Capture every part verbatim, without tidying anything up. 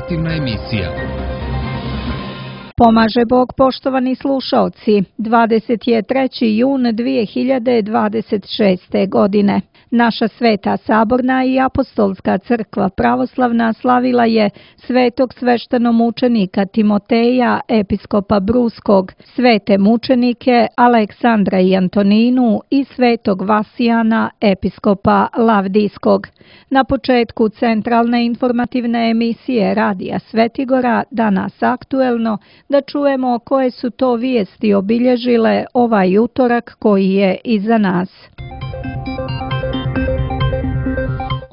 informativna emisija. Pomaže Bog, poštovani slušaoci, dvadeset treći jun dvije hiljade dvadeset šeste. godine. Naša Sveta Saborna i Apostolska crkva pravoslavna slavila je svetog sveštenomučenika Timoteja, episkopa Bruskog, svete mučenike Aleksandra i Antoninu i svetog Vasijana, episkopa Lavdijskog. Na početku centralne informativne emisije Radija Svetigora, danas aktuelno, da čujemo koje su to vijesti obilježile ovaj utorak koji je iza nas.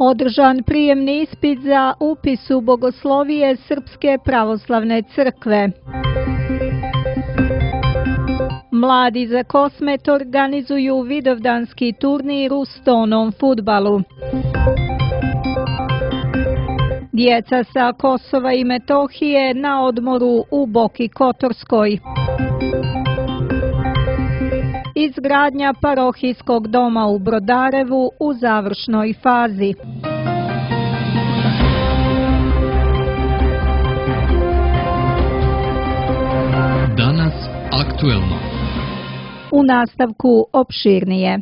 Održan prijemni ispit za upis u bogoslovije Srpske pravoslavne crkve. Mladi za Kosmet organizuju vidovdanski turnir u stonom fudbalu. Djeca sa Kosova i Metohije na odmoru u Boki Kotorskoj. Izgradnja parohijskog doma u Brodarevu u završnoj fazi. Danas aktuelno. U nastavku opširnije.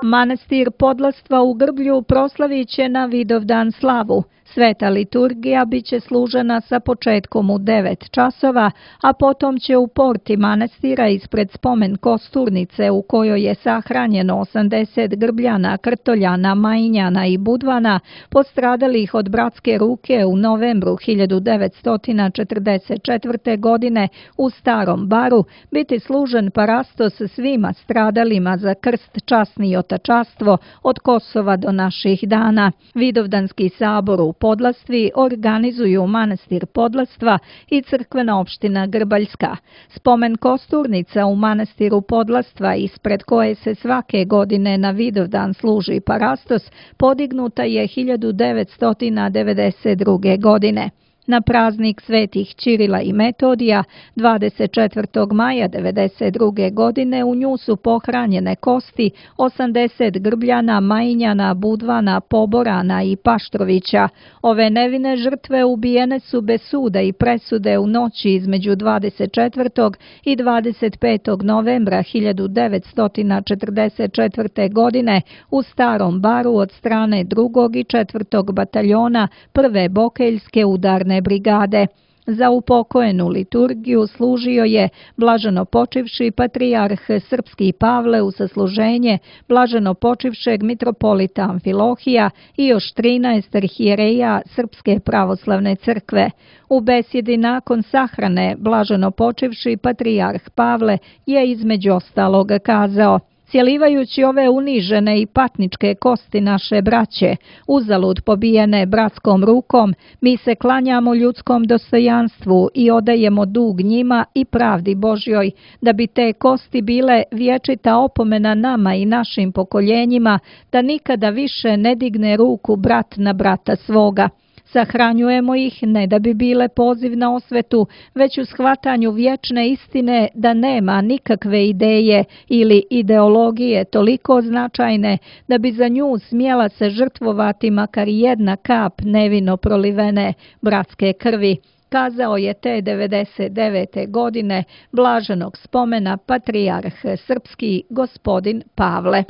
Manastir Podlastva u Grblju proslavit će na Vidovdan slavu. Sveta liturgija biće služena sa početkom u devet časova, a potom će u porti manastira ispred spomen kosturnice u kojoj je sahranjeno osamdeset Grbljana, Krtoljana, Majinjana i Budvana, postradalih od bratske ruke u novembru hiljadu devetsto četrdeset četvrte. godine u Starom Baru, biti služen parastos svima stradalima za krst, časni i otačastvo od Kosova do naših dana. Vidovdanski sabor u Podlastvi organizuju Manastir Podlastva i crkvena opština Grbaljska. Spomen kosturnica u Manastiru Podlastva, ispred koje se svake godine na Vidovdan služi parastos, podignuta je hiljadu devetsto devedeset druge. godine. Na praznik svetih Ćirila i Metodija, dvadeset četvrtog maja devedeset druge. godine, u nju su pohranjene kosti osamdeset Grbljana, Majinjana, Budvana, Poborana i Paštrovića. Ove nevine žrtve ubijene su bez suda i presude u noći između dvadeset četvrtog i dvadeset petog novembra hiljadu devetsto četrdeset četvrte. godine u Starom Baru od strane drugog i četvrtog bataljona prve Bokeljske udarne brigade. Za upokojenu liturgiju služio je blaženo počivši patrijarh srpski Pavle u sasluženje blaženo počivšeg mitropolita Amfilohija i još trinaest arhijereja Srpske pravoslavne crkve. U besjedi nakon sahrane blaženo počivši patrijarh Pavle je između ostalog kazao: "Cjelivajući ove unižene i patničke kosti naše braće, uzalud pobijene bratskom rukom, mi se klanjamo ljudskom dostojanstvu i odajemo dug njima i pravdi Božjoj, da bi te kosti bile vječita opomena nama i našim pokoljenjima, da nikada više ne digne ruku brat na brata svoga. Sahranjujemo ih ne da bi bile poziv na osvetu, već u shvatanju vječne istine da nema nikakve ideje ili ideologije toliko značajne da bi za nju smjela se žrtvovati makar jedna kap nevino prolivene bratske krvi," kazao je te devedeset devete. godine blaženog spomena patrijarh srpski gospodin Pavle.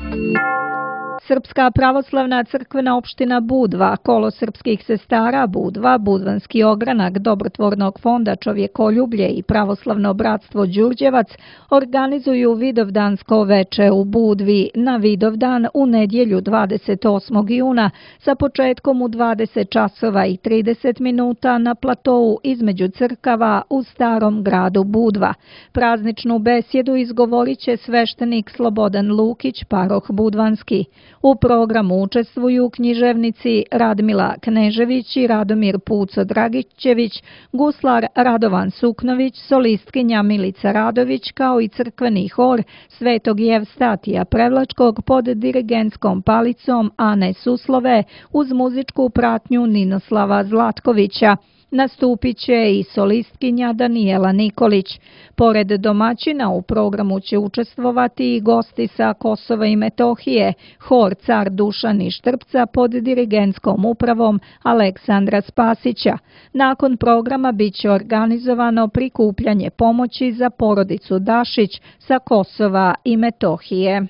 Srpska pravoslavna crkvena opština Budva, kolo srpskih sestara Budva, Budvanski ogranak Dobrotvornog fonda Čovjekoljublje i pravoslavno bratstvo Đurđevac organizuju Vidovdansko veče u Budvi na Vidovdan u nedjelju dvadeset osmog juna sa početkom u dvadeset časova i trideset minuta na platou između crkava u Starom gradu Budva. Prazničnu besjedu izgovorit će sveštenik Slobodan Lukić, paroh Budvanski. U programu učestvuju književnici Radmila Knežević i Radomir Puco Dragićević, guslar Radovan Suknović, solistkinja Milica Radović, kao i crkveni hor Svetog Jevstatija Prevlačkog pod dirigentskom palicom Ane Suslove uz muzičku pratnju Ninoslava Zlatkovića. Nastupit će i solistkinja Danijela Nikolić. Pored domaćina u programu će učestvovati i gosti sa Kosova i Metohije, hor Car Dušan iz Štrpca pod dirigentskom upravom Aleksandra Spasića. Nakon programa bit će organizovano prikupljanje pomoći za porodicu Dašić sa Kosova i Metohije.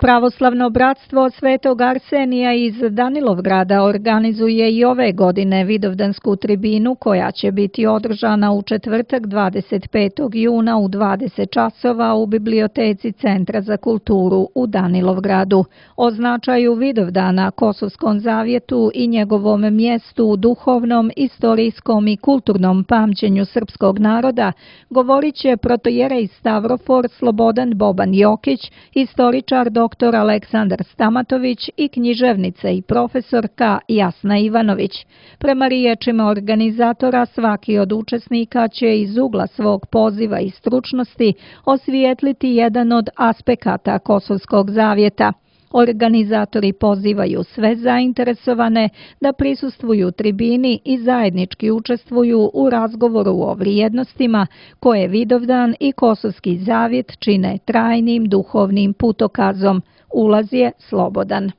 Pravoslavno bratstvo Svetog Arsenija iz Danilovgrada organizuje i ove godine vidovdansku tribinu koja će biti održana u četvrtak dvadeset petog juna u dvadeset časova u biblioteci Centra za kulturu u Danilovgradu. O značaju Vidovdana, Kosovskom zavjetu i njegovom mjestu u duhovnom, istorijskom i kulturnom pamćenju srpskog naroda govorit će protojerej Stavrofor Slobodan Boban Jokić, istoričar dr. dr. Aleksandar Stamatović i književnica i profesorka Jasna Ivanović. Prema riječima organizatora, svaki od učesnika će iz ugla svog poziva i stručnosti osvijetliti jedan od aspekata Kosovskog zavjeta. Organizatori pozivaju sve zainteresovane da prisustvuju tribini i zajednički učestvuju u razgovoru o vrijednostima koje Vidovdan i Kosovski zavjet čine trajnim duhovnim putokazom. Ulaz je slobodan.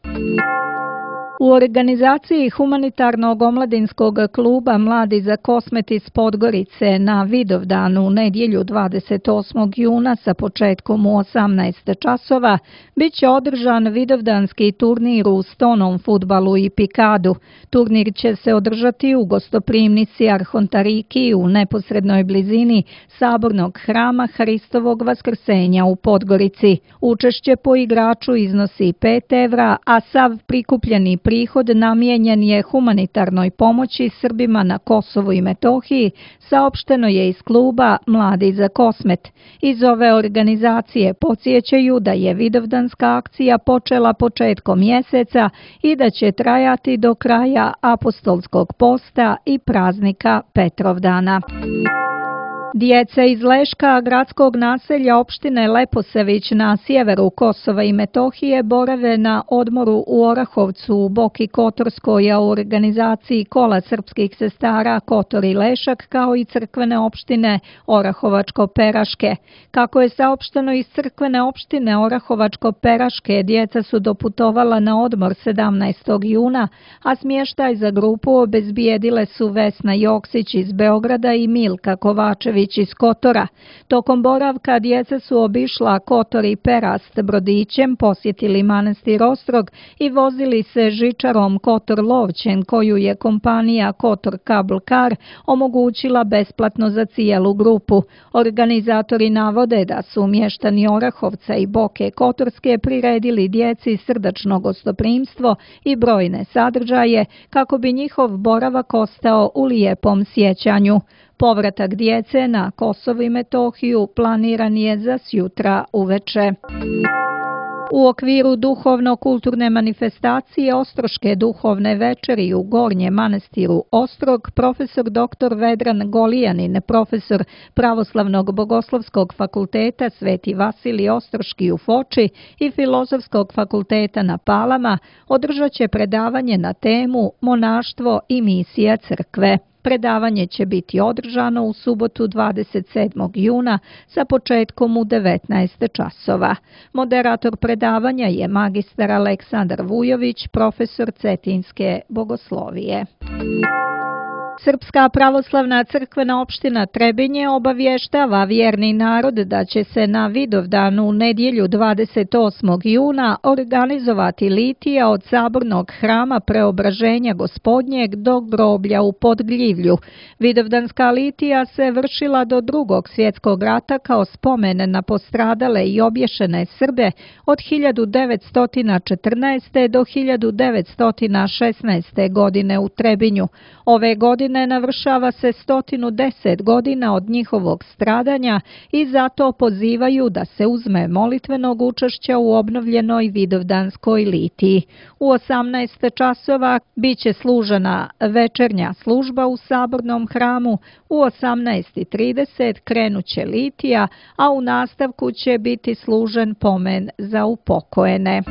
U organizaciji humanitarnog omladinskog kluba Mladi za Kosmet iz Podgorice na Vidovdanu u nedjelju dvadeset osmog juna sa početkom u osamnaest časova bit će održan vidovdanski turnir u stonom fudbalu i pikadu. Turnir će se održati u gostoprimnici Arhontariki u neposrednoj blizini sabornog hrama Hristovog Vaskrsenja u Podgorici. Učešće po igraču iznosi pet evra, a sav prikupljeni prihod namijenjen je humanitarnoj pomoći Srbima na Kosovu i Metohiji, saopšteno je iz kluba Mladi za Kosmet. Iz ove organizacije podsjećaju da je vidovdanska akcija počela početkom mjeseca i da će trajati do kraja apostolskog posta i praznika Petrovdana. Djeca iz Leška, gradskog naselja opštine Leposavić na sjeveru Kosova i Metohije, borave na odmoru u Orahovcu u Boki Kotorskoj, a u organizaciji Kola srpskih sestara Kotor i Lešak, kao i crkvene opštine Orahovačko-Peraške. Kako je saopšteno iz crkvene opštine Orahovačko-Peraške, djeca su doputovala na odmor sedamnaestog juna, a smještaj za grupu obezbijedile su Vesna Joksić iz Beograda i Milka Kovačević iz Kotora. Tokom boravka djeca su obišla Kotor i Perast brodićem, posjetili manastir Ostrog i vozili se žičarom Kotor-Lovćen, koju je kompanija Kotor Cable Car omogućila besplatno za cijelu grupu. Organizatori navode da su mještani Orahovca i Boke Kotorske priredili djeci srdačno gostoprimstvo i brojne sadržaje kako bi njihov boravak ostao u lijepom sjećanju. Povratak djece na Kosovo i Metohiju planiran je za sjutra uveče. U okviru duhovno-kulturne manifestacije Ostroške duhovne večeri u Gornjem manastiru Ostrog, profesor doktor Vedran Golijanin, profesor Pravoslavnog bogoslovskog fakulteta Sveti Vasilij Ostroški u Foči i Filozofskog fakulteta na Palama, održat će predavanje na temu Monaštvo i misija crkve. Predavanje će biti održano u subotu dvadeset sedmog juna sa početkom u devetnaest časova. Moderator predavanja je magistar Aleksandar Vujović, profesor Cetinske bogoslovije. Srpska pravoslavna crkvena opština Trebinje obavještava vjerni narod da će se na Vidovdanu u nedjelju dvadeset osmog juna organizovati litija od sabornog hrama Preobraženja Gospodnjeg do groblja u Podgljivlju. Vidovdanska litija se vršila do Drugog svjetskog rata kao spomen na postradale i obješene Srbe od hiljadu devetsto četrnaeste. do hiljadu devetsto šesnaeste. godine u Trebinju. Ove godine ne navršava se sto deset godina od njihovog stradanja i zato pozivaju da se uzme molitvenog učešća u obnovljenoj vidovdanskoj litiji. U osamnaest časova biće služena večernja služba u sabornom hramu, u osamnaest trideset krenuće litija, a u nastavku će biti služen pomen za upokojene.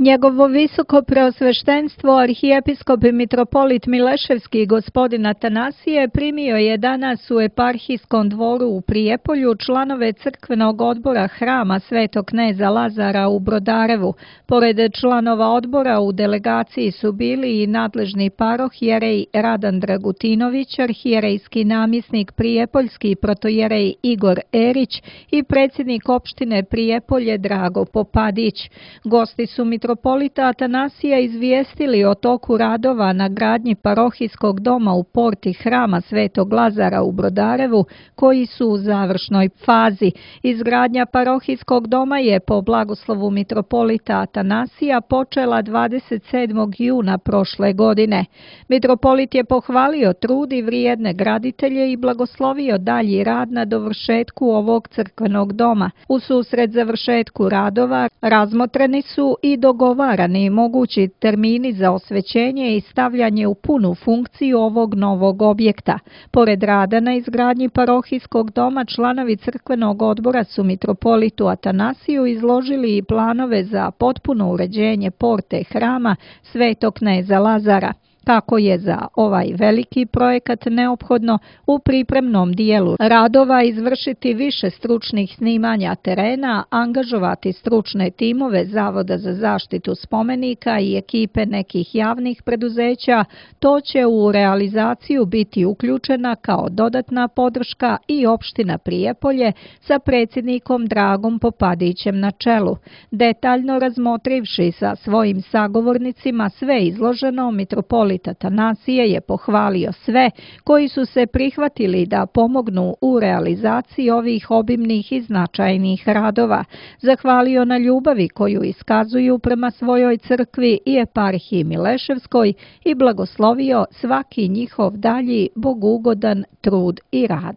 Njegovo visoko preosveštenstvo arhijepiskop i mitropolit Mileševski gospodin Atanasije primio je danas u eparhijskom dvoru u Prijepolju članove crkvenog odbora hrama Svetog kneza Lazara u Brodarevu. Pored članova odbora u delegaciji su bili i nadležni parohijerej Radan Dragutinović, arhijerejski namjesnik Prijepoljski protojerej Igor Erić i predsjednik opštine Prijepolje Drago Popadić. Gosti su mitropolita Atanasija izvijestili o toku radova na gradnji parohijskog doma u porti hrama Svetog Lazara u Brodarevu, koji su u završnoj fazi. Izgradnja parohijskog doma je po blagoslovu mitropolita Atanasija počela dvadeset sedmog juna prošle godine. Mitropolit je pohvalio trud i vrijedne graditelje i blagoslovio dalji rad na dovršetku ovog crkvenog doma. U susret završetku radova razmotreni su i dogovarani mogući termini za osvećenje i stavljanje u punu funkciju ovog novog objekta. Pored rada na izgradnji parohijskog doma, članovi crkvenog odbora su mitropolitu Atanasiju izložili i planove za potpuno uređenje porte hrama Svetog kneza Lazara. Kako je za ovaj veliki projekat neophodno u pripremnom dijelu radova izvršiti više stručnih snimanja terena, angažovati stručne timove Zavoda za zaštitu spomenika i ekipe nekih javnih preduzeća, to će u realizaciju biti uključena kao dodatna podrška i opština Prijepolje sa predsjednikom Dragom Popadićem na čelu. Detaljno razmotrivši sa svojim sagovornicima sve izloženo, mitropolit Atanasije je pohvalio sve koji su se prihvatili da pomognu u realizaciji ovih obimnih i značajnih radova. Zahvalio na ljubavi koju iskazuju prema svojoj crkvi i eparhiji Mileševskoj i blagoslovio svaki njihov dalji bogugodan trud i rad.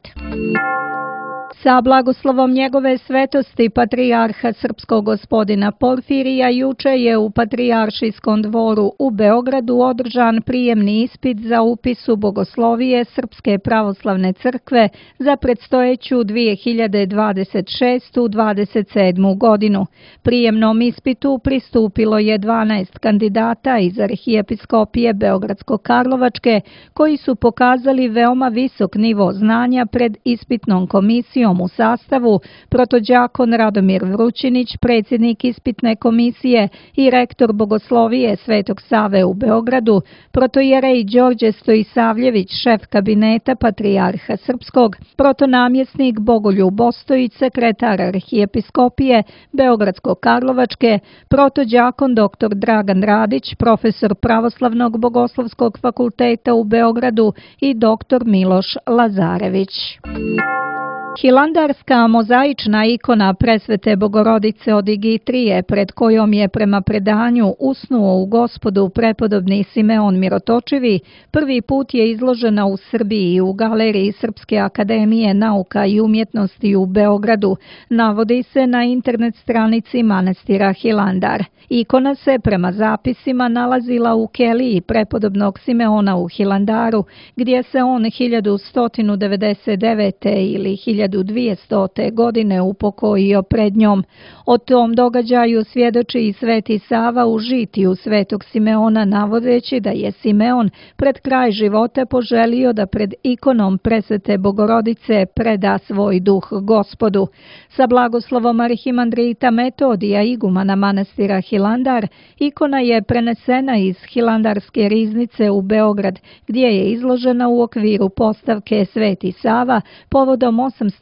Sa blagoslovom njegove svetosti patrijarha srpskog gospodina Porfirija juče je u Patrijaršijskom dvoru u Beogradu održan prijemni ispit za upis u bogoslovije Srpske pravoslavne crkve za predstojeću dvije hiljade dvadeset šeste dvadeset sedme. godinu. Prijemnom ispitu pristupilo je dvanaest kandidata iz arhijepiskopije Beogradsko-Karlovačke koji su pokazali veoma visok nivo znanja pred ispitnom komisijom u sastavu protođakon Radomir Vrućinić, predsjednik ispitne komisije i rektor bogoslovije Svetog Save u Beogradu, protojerej Đorđe Stojisavljević, šef kabineta patrijarha srpskog, protonamjesnik Bogoljub Ostojić, sekretar arhijepiskopije Beogradsko-Karlovačke, protođakon dr. Dragan Radić, profesor Pravoslavnog bogoslovskog fakulteta u Beogradu i dr. Miloš Lazarević. Hilandarska mozaična ikona Presvete Bogorodice od Igitrije, pred kojom je prema predanju usnuo u Gospodu prepodobni Simeon Mirotočivi, prvi put je izložena u Srbiji u galeriji Srpske akademije nauka i umjetnosti u Beogradu, navodi se na internet stranici manastira Hilandar. Ikona se prema zapisima nalazila u keliji prepodobnog Simeona u Hilandaru, gdje se on hiljadu sto devedeset devete. ili hiljadu dvjestote. godine upokojio pred njom. O tom događaju svjedoči i Sveti Sava u žitiju Svetog Simeona, navodeći da je Simeon pred kraj života poželio da pred ikonom Presvete Bogorodice preda svoj duh Gospodu. Sa blagoslovom arhimandrita Metodija, igumana manastira Hilandar, ikona je prenesena iz Hilandarske riznice u Beograd, gdje je izložena u okviru postavke Sveti Sava povodom osamsto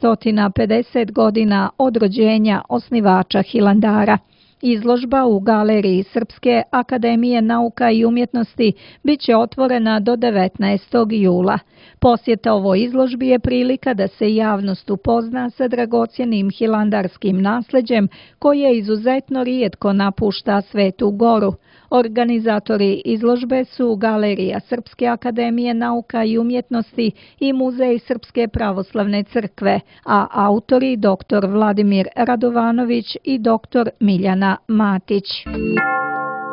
pedeset godina od rođenja osnivača Hilandara. Izložba u galeriji Srpske akademije nauka i umjetnosti bit će otvorena do devetnaestog jula. Posjeta ovoj izložbi je prilika da se javnost upozna sa dragocjenim hilandarskim nasljeđem koje izuzetno rijetko napušta Svetu Goru. Organizatori izložbe su Galerija Srpske akademije nauka i umjetnosti i Muzej Srpske pravoslavne crkve, a autori dr. Vladimir Radovanović i dr. Miljana Matić.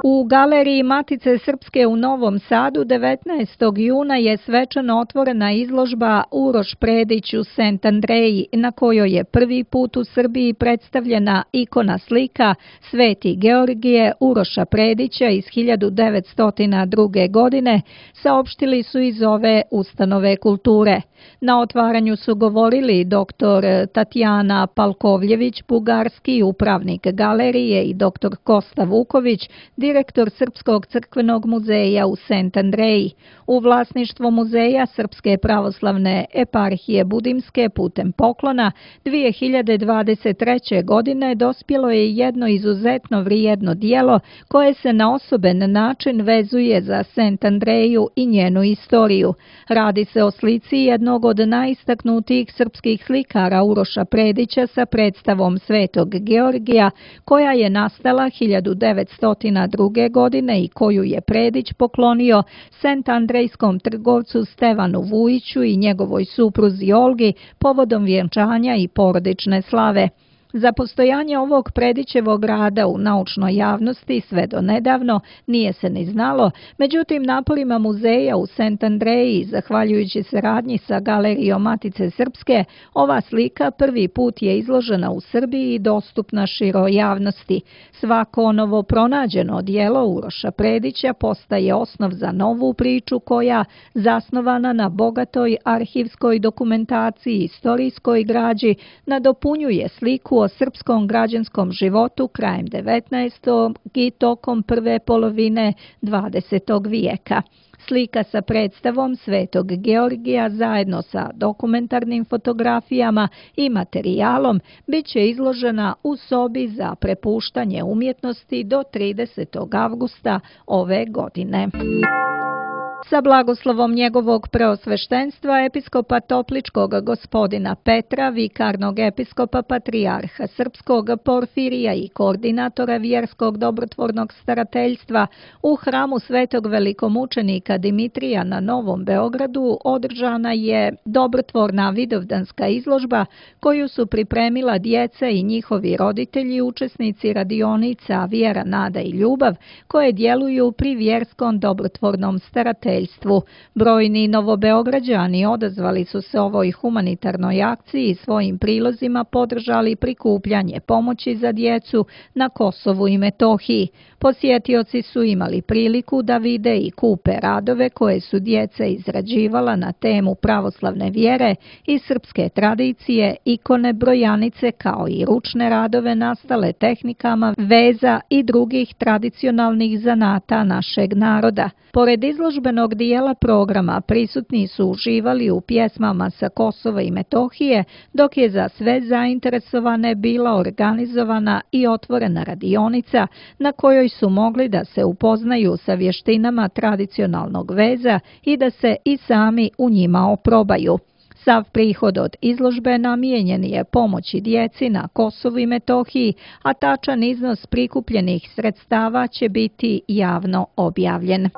U Galeriji Matice Srpske u Novom Sadu devetnaestog juna je svečano otvorena izložba Uroš Predić u Sent Andreji, na kojoj je prvi put u Srbiji predstavljena ikona slika Sveti Georgije Uroša Predića iz hiljadu devetsto druge. godine, saopštili su iz ove ustanove kulture. Na otvaranju su govorili doktor Tatjana Palkovljević, bugarski upravnik galerije, i doktor Kosta Vuković, direktor Srpskog crkvenog muzeja u Sent Andreji. U vlasništvo muzeja Srpske pravoslavne eparhije Budimske putem poklona dvije hiljade dvadeset treće. godine dospjelo je jedno izuzetno vrijedno dijelo koje se na osoben način vezuje za Sent Andreju i njenu istoriju. Radi se o slici jednog od najistaknutijih srpskih slikara Uroša Predića sa predstavom Svetog Georgija, koja je nastala hiljadu devetsto druge. godine i koju je Predić poklonio Sent Andrejskom trgovcu Stevanu Vujiću i njegovoj supruzi Olgi povodom vjenčanja i porodične slave. Za postojanje ovog Predićevog rada u naučnoj javnosti sve do nedavno nije se ni znalo, međutim naporima muzeja u Sent Andreji, zahvaljujući saradnji sa Galerijom Matice Srpske, ova slika prvi put je izložena u Srbiji i dostupna široj javnosti. Svako novo pronađeno dijelo Uroša Predića postaje osnov za novu priču koja, zasnovana na bogatoj arhivskoj dokumentaciji i istorijskoj građi, nadopunjuje sliku o srpskom građanskom životu krajem devetnaestog. i tokom prve polovine dvadesetog. vijeka. Slika sa predstavom Svetog Georgija zajedno sa dokumentarnim fotografijama i materijalom bit će izložena u sobi za prepuštanje umjetnosti do tridesetog avgusta ove godine. Sa blagoslovom njegovog preosveštenstva episkopa Topličkog gospodina Petra, vikarnog episkopa patrijarha Srpskog Porfirija i koordinatora vjerskog dobrotvornog starateljstva u hramu Svetog velikomučenika Dimitrija na Novom Beogradu održana je dobrotvorna vidovdanska izložba koju su pripremila djeca i njihovi roditelji, učesnici radionica Vjera, nada i ljubav, koje djeluju pri vjerskom dobrotvornom starateljstvu. Brojni Novobeograđani odazvali su se ovoj humanitarnoj akciji i svojim prilozima podržali prikupljanje pomoći za djecu na Kosovu i Metohiji. Posjetioci su imali priliku da vide i kupe radove koje su djeca izrađivala na temu pravoslavne vjere i srpske tradicije, ikone, brojanice, kao i ručne radove nastale tehnikama veza i drugih tradicionalnih zanata našeg naroda. Pored izložbenog dijela programa prisutni su uživali u pjesmama sa Kosova i Metohije, dok je za sve zainteresovane bila organizovana i otvorena radionica na kojoj su mogli da se upoznaju sa vještinama tradicionalnog veza i da se i sami u njima oprobaju. Sav prihod od izložbe namijenjen je pomoći djeci na Kosovu i Metohiji, a tačan iznos prikupljenih sredstava će biti javno objavljen.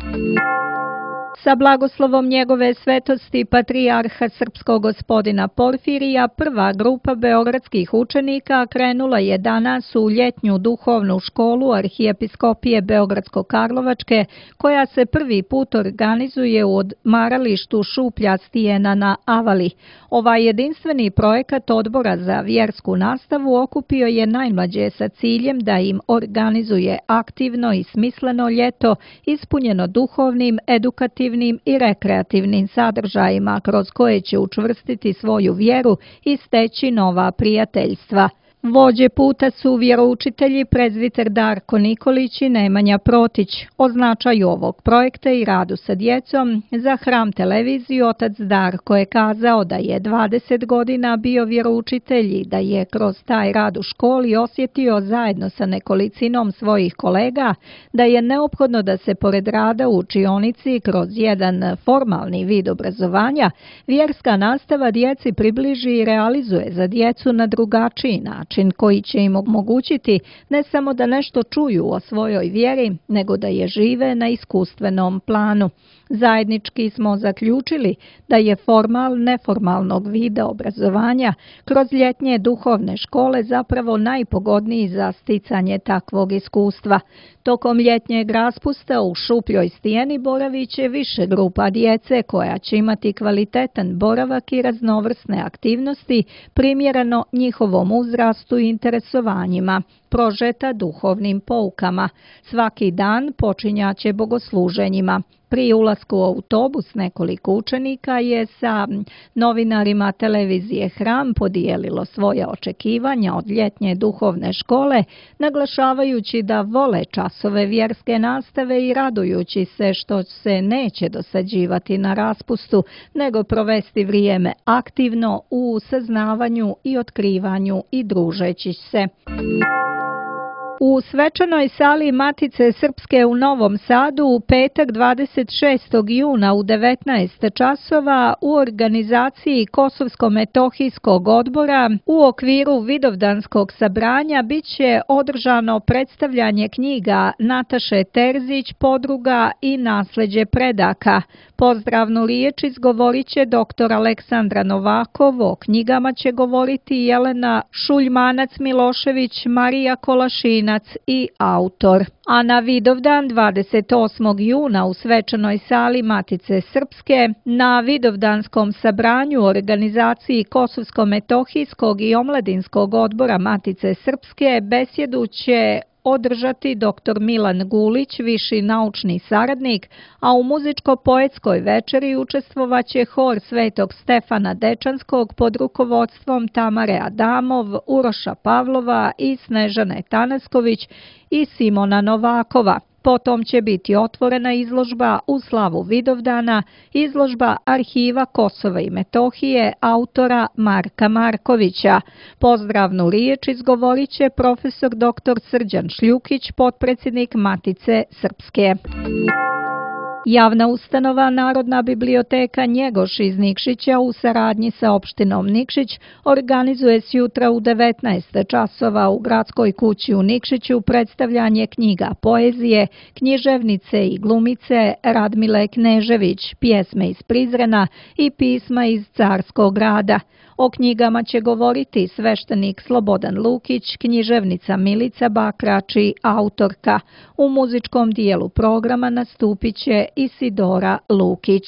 Sa blagoslovom njegove svetosti patrijarha Srpskog gospodina Porfirija, prva grupa beogradskih učenika krenula je danas u ljetnju duhovnu školu Arhijepiskopije Beogradsko-Karlovačke, koja se prvi put organizuje u odmaralištu Šuplja stijena na Avali. Ovaj jedinstveni projekat Odbora za vjersku nastavu okupio je najmlađe sa ciljem da im organizuje aktivno i smisleno ljeto ispunjeno duhovnim, edukativnim i rekreativnim sadržajima kroz koje će učvrstiti svoju vjeru i steći nova prijateljstva. Vođe puta su vjeroučitelji prezbiter Darko Nikolić i Nemanja Protić. O značaju ovog projekta i radu sa djecom za Hram televiziju otac Darko je kazao da je dvadeset godina bio vjeroučitelj i da je kroz taj rad u školi osjetio zajedno sa nekolicinom svojih kolega da je neophodno da se pored rada u učionici kroz jedan formalni vid obrazovanja vjerska nastava djeci približi i realizuje za djecu na drugačiji način, koji će im omogućiti ne samo da nešto čuju o svojoj vjeri, nego da je žive na iskustvenom planu. Zajednički smo zaključili da je formal neformalnog vida obrazovanja kroz ljetnje duhovne škole zapravo najpogodniji za sticanje takvog iskustva. Tokom ljetnjeg raspusta u šupljoj stijeni boravit će više grupa djece koja će imati kvalitetan boravak i raznovrsne aktivnosti primjereno njihovom uzrastu i interesovanjima, prožeta duhovnim poukama. Svaki dan počinjaće bogosluženjima. Pri ulasku u autobus nekoliko učenika je sa novinarima televizije Hram podijelilo svoje očekivanja od ljetnje duhovne škole, naglašavajući da vole časove vjerske nastave i radujući se što se neće dosađivati na raspustu, nego provesti vrijeme aktivno u saznavanju i otkrivanju i družeći se. U svečanoj sali Matice Srpske u Novom Sadu u petak dvadeset šestog juna u devetnaest časova u organizaciji Kosovsko-metohijskog odbora u okviru Vidovdanskog sabranja biće održano predstavljanje knjiga Nataše Terzić Podruga i nasleđe predaka. Pozdravnu riječ izgovorit će doktor Aleksandra Novakov, o knjigama će govoriti Jelena Šuljmanac-Milošević, Marija Kolašinac i autor. A na Vidovdan dvadeset osmog juna u svečanoj sali Matice Srpske na Vidovdanskom sabranju u organizaciji Kosovsko-metohijskog i omladinskog odbora Matice Srpske besjedu će održati doktor Milan Gulić, viši naučni saradnik, a u muzičko-poetskoj večeri učestvovaće hor Svetog Stefana Dečanskog pod rukovodstvom Tamare Adamov, Uroša Pavlova i Snežane Tanasković i Simona Novakova. Potom će biti otvorena izložba u slavu Vidovdana, izložba Arhiva Kosova i Metohije autora Marka Markovića. Pozdravnu riječ izgovorit će profesor doktor Srđan Šljukić, potpredsjednik Matice Srpske. Javna ustanova Narodna biblioteka Njegoš iz Nikšića u saradnji sa opštinom Nikšić organizuje sjutra u devetnaest časova u Gradskoj kući u Nikšiću predstavljanje knjiga poezije, književnice i glumice Radmile Knežević, pjesme iz Prizrena i pisma iz Carskog grada. O knjigama će govoriti sveštenik Slobodan Lukić, književnica Milica Bakrač i autorka. U muzičkom dijelu programa nastupit će Isidora Lukić.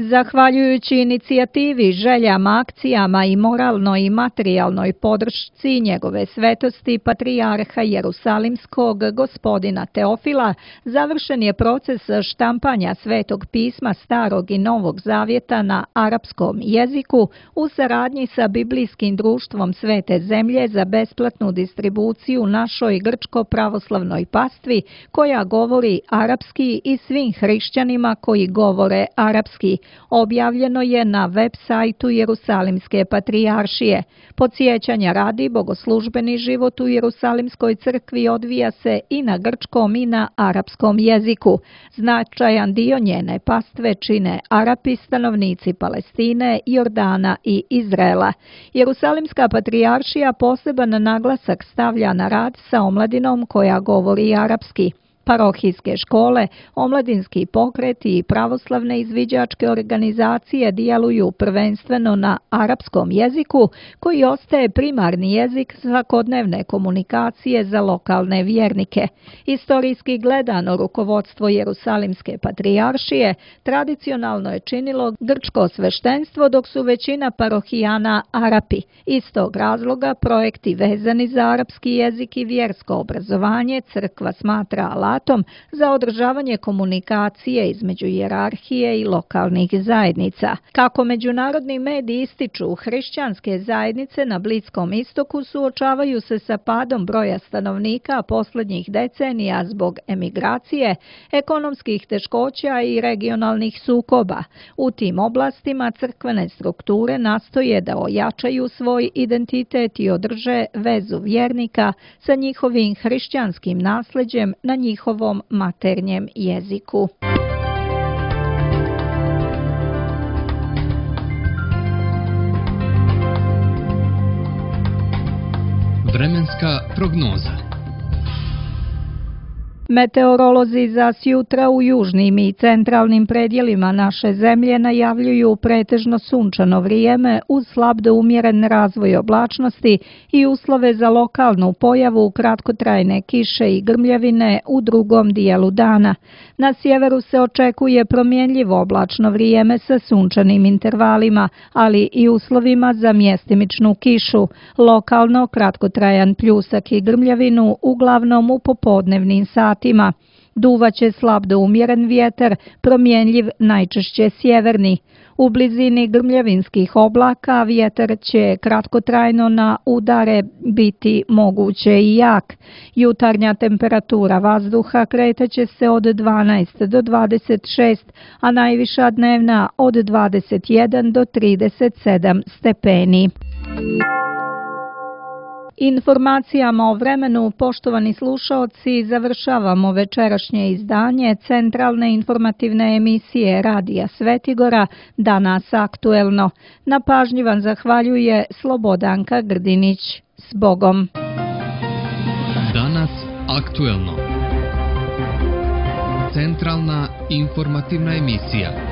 Zahvaljujući inicijativi, željama, akcijama i moralnoj i materijalnoj podršci njegove svetosti patrijarha Jerusalimskog gospodina Teofila, završen je proces štampanja Svetog pisma Starog i Novog Zavjeta na arapskom jeziku u saradnji sa Biblijskim društvom Svete zemlje za besplatnu distribuciju našoj grčko-pravoslavnoj pastvi koja govori arapski i svim hrišćanima koji govore arapski. Objavljeno je na web sajtu Jerusalimske patrijaršije. Podsjećanja radi, bogoslužbeni život u Jerusalimskoj crkvi odvija se i na grčkom i na arapskom jeziku. Značajan dio njene pastve čine Arapi, stanovnici Palestine, Jordana i Izraela. Jerusalimska patrijaršija poseban naglasak stavlja na rad sa omladinom koja govori arapski. Parohijske škole, omladinski pokreti i pravoslavne izviđačke organizacije djeluju prvenstveno na arapskom jeziku, koji ostaje primarni jezik svakodnevne komunikacije za lokalne vjernike. Istorijski gledano, rukovodstvo Jerusalimske patrijaršije tradicionalno je činilo grčko sveštenstvo, dok su većina parohijana Arapi. Iz tog razloga projekti vezani za arapski jezik i vjersko obrazovanje crkva smatra alatom za održavanje komunikacije između hijerarhije i lokalnih zajednica. Kako međunarodni mediji ističu, hrišćanske zajednice na Bliskom istoku suočavaju se sa padom broja stanovnika posljednjih decenija zbog emigracije, ekonomskih teškoća i regionalnih sukoba. U tim oblastima crkvene strukture nastoje da ojačaju svoj identitet i održe vezu vjernika sa njihovim hrišćanskim nasljeđem na njihovom maternjem jeziku. Vremenska prognoza. Meteorolozi za sjutra u južnim i centralnim predjelima naše zemlje najavljuju pretežno sunčano vrijeme uz slab do umjeren razvoj oblačnosti i uslove za lokalnu pojavu kratkotrajne kiše i grmljavine u drugom dijelu dana. Na sjeveru se očekuje promjenljivo oblačno vrijeme sa sunčanim intervalima, ali i uslovima za mjestimičnu kišu, lokalno kratkotrajan pljusak i grmljavinu uglavnom u popodnevnim satima. Duvaće slab do umjeren vjetar, promjenljiv najčešće sjeverni. U blizini grmljavinskih oblaka vjetar će kratkotrajno na udare biti moguće i jak. Jutarnja temperatura vazduha kretaće se od dvanaest do dvadeset šest, a najviša dnevna od dvadeset jedan do trideset sedam stepeni. Informacijama o vremenu, poštovani slušaoci, završavamo večerašnje izdanje centralne informativne emisije Radija Svetigora Danas aktuelno. Na pažnji vam zahvaljuje Slobodanka Grdinić. S Bogom! Danas aktuelno. Centralna informativna emisija.